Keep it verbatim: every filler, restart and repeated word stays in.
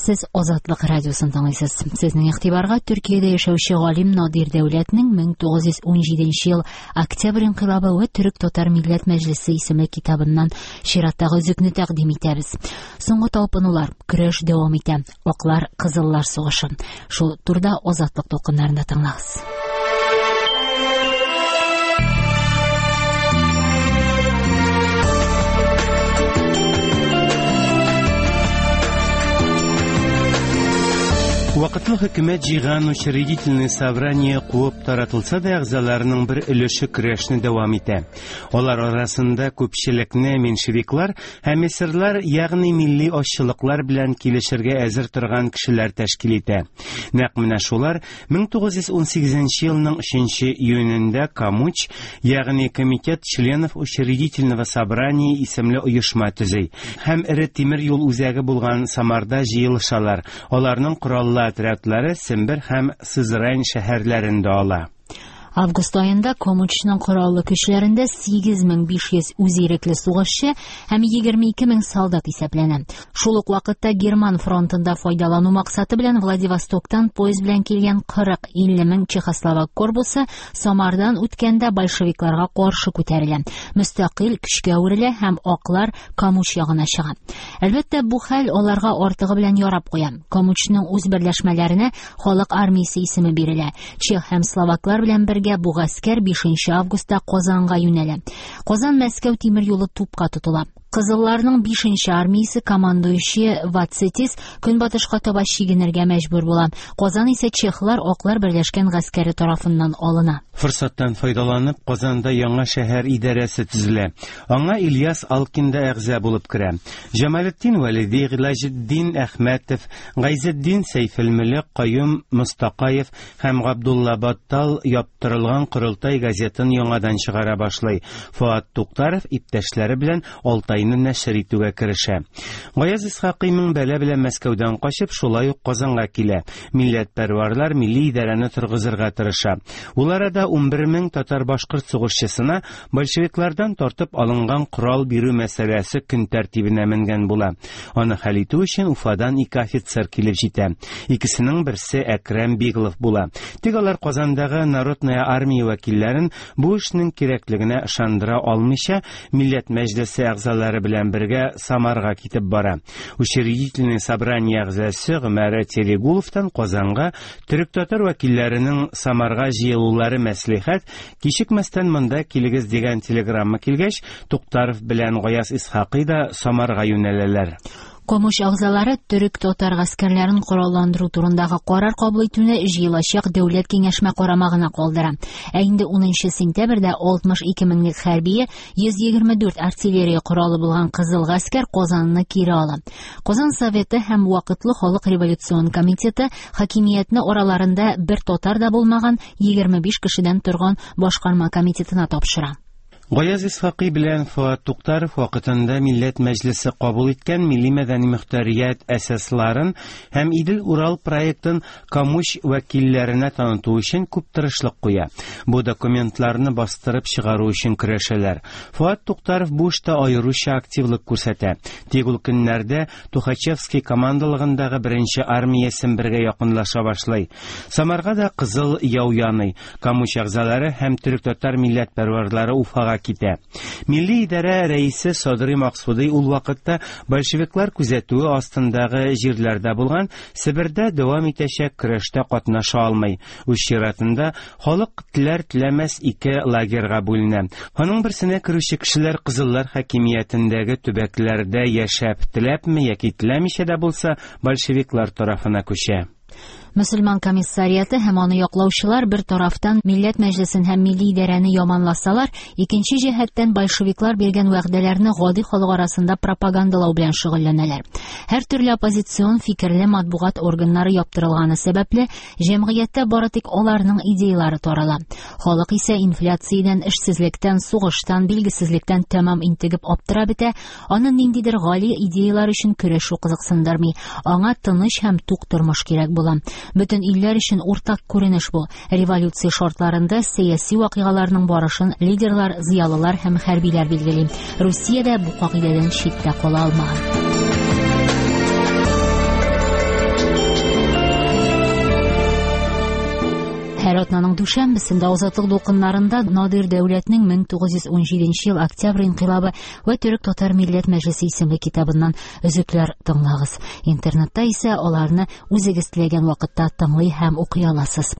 Сез Азатлык радиосын тыңлыйсыз. Сезнең игътибарга Төркиядә яшәүче галим Надир Дәүләтнең мең тугыз йөз унҗиденче ел Октябрь инкыйлабы вә Төрек-татар милләт мәҗлесе исемле китабыннан чираттагы өзекне тәкъдим итәбез. Соңгы талпынулар, көрәш дәвам итә. Аклар, кызыллар сугышы. Шул турда Азатлык дулкыннарында тыңлагыз. Вакытлы хөкүмәт җыйган учредительное собрание куып таратылса да, әгъзаларының бер өлеше көрәшне дәвам итә. Алар арасында күпчелекне меньшевиклар һәм эсерлар, ягъни милли азчылыклар белән килешергә әзер торган кешеләр тәшкил итә. Нәкъ менә шулар мең тугыз йөз унсигезенче елның өченче июнендә Комуч, ягъни Комитет членов учредительного собрания исемле оешма төзи һәм эре тимер юл үзәге булган Самарда җыелышалар. Аларның кораллы отрядлары Сембер һәм Сызрань шәһәрләрендә ала. Август аенда Комучның кораллы көчләрендә сигез мең биш йөз үзирекле сугышчы һәм егерме ике мең солдат исәпләнә. Шул ук вакытта Герман фронтында файдалану максаты белән Владивостоктан поезд белән килгән кырык илле мең чехословак корпусы Самардан үткәндә большевикларга каршы күтәрелә. Мөстәкыйль көчкә әверелә һәм аклар Комуч ягына чыга. Әлбәттә, бу хәл аларга артыгы белән ярап куя. Комучның үз берләшмәләренә халык армиясе исеме бирелә. Чех һәм словаклар белән бергә бу гаскәр бишенче августта Казанга юнәлә. Казан Мәскәү тимер юлы тупка тотыла. Кызылларның бишенче армиясе командующие Вацетис көнбатышка таба чигенергә мәҗбүр була. Казан исә чехлар аклар берләшкән гаскәре тарафыннан алына. Форсаттан файдаланып, Казанда яңа шәһәр идарәсе төзелә. Аңа Ильяс Алкин да әгъза булып керә. Җамалетдин Вәлиди, Гыйлаҗетдин Әхмәтов, Гайзетдин Сәйфелмөлек, Каюм Мостакаев һәм Габдулла Баттал яптырылган Корылтай газетын яңадан чыгара башлый. Фуат Туктаров иптәшләре белән Алтайны нәшер итүгә керешә. Гаяз Исхакый мең бәла белән Мәскәүдән качып, шулай ук Казанга килә. Милләтпәрварлар милли идарәне торгызырга тырыша. Ул арада унбер мең татар-башкорт сугышчысына большевиклардан тартып алынган корал бирү мәсьәләсе көн тәртибенә менгән була. Аны хәл итү өчен Уфадан ике офицер килеп җитә. Икесенең берсе Әкрәм Биглов була. Тик алар Казандагы Народная армия вәкилләрен бу эшнең кирәклегенә ышандыра алмыйча, Милләт мәҗлесе әгъзалары белән бергә Самарга китеп бара. Учредительное собрание әгъзасы Гомәр Терегуловтан Казанга төрек-татар вәкилләренең Самарга җыелулары мәслихәт, кичекмәстән монда килегез дигән телеграмма килгәч, Туктаров белән Гаяз Исхакый да Самарга юнәләләр. Комуч әгъзалары төрек-татар гаскәрләрен коралландыру турындагы карар кабул итүне җыелачак дәүләт киңәшмә карамагына калдыра. Ә инде унынчы сентябрьдә алтмыш ике меңлек хәрбие йөз егерме дүрт артиллерия коралы булган Кызыл гаскәр Казанны кире ала. Казан Советы һәм Вакытлы халык революцион комитеты хакимиятне араларында бер татар да булмаган егерме биш кешедән торган башкарма комитетына тапшыра. Гаяз Исхакый белән Фуат Туктаров вакытында Милләт Мәҗлесе кабул иткән милли мәдәни мөхтәрият әсасларын һәм Идел-Урал проектын Комуч вәкилләренә таныту өчен күп тырышлык куя. Бу документларны бастырып чыгару өчен көрәшәләр. Фуат Туктаров бу эштә аеруча активлык күрсәтә. Тик ул көннәрдә Тухачевский командалыгындагы беренче армия Сембергә якынлаша башлый. Самарга да кызыл яу яный. Комуч әгъзалары һәм төрек-татар милләтпәрварлары Уфага китә. Милли идарә рәисе Садри Максуди ул вакытта большевиклар күзәтүе астындагы җирләрдә булган Себердә дәвам итәчәк көрәштә катнаша алмый. Үз чиратында халык теләр-теләмәс ике лагерьга бүленә. Аның берсенә керүче кешеләр кызыллар хакимиятендәге төбәкләрдә яшәп, теләпме яки теләмичә дә булса, большевиклар тарафына күчә. Мөселман комиссариаты һәм аны яклаучылар бер тарафтан Милләт Мәҗлесен һәм милли идарәне яманласалар, икенче җәһәттән большевиклар биргән вәгъдәләрне гади халык арасында пропагандалау белән шөгыльләнәләр. Һәр төрле оппозицион фикерле матбугат органнары яптырылганы сәбәпле, җәмгыятьтә бары тик аларның идеялары тарала. Халык исә инфляциядән, эшсезлектән, сугыштан, билгесезлектән тәмам интегеп аптырап бетә, аны ниндидер гали идеялар өчен көрәшү кызыксындырмый. Аңа тыныч һәм тук тормыш кирәк була. Бөтен илләр өчен уртак күренеш бу. Революция шартларында сәяси вакыйгаларның барышын лидерлар, зыялылар һәм хәрбиләр билгели. Русия дә бу кагыйдәдән читтә кала алмаган. Һәр атнаның дүшәмбесендә Азатлык дулкыннарында Надир Дәүләтнең мең тугыз йөз унҗиденче ел Октябрь инкыйлабы вә Төрек-татар милләт мәҗлесе исемле китабыннан өзекләр тыңлагыз. Интернетта исә аларны үзегез теләгән вакытта тыңлый һәм укый аласыз.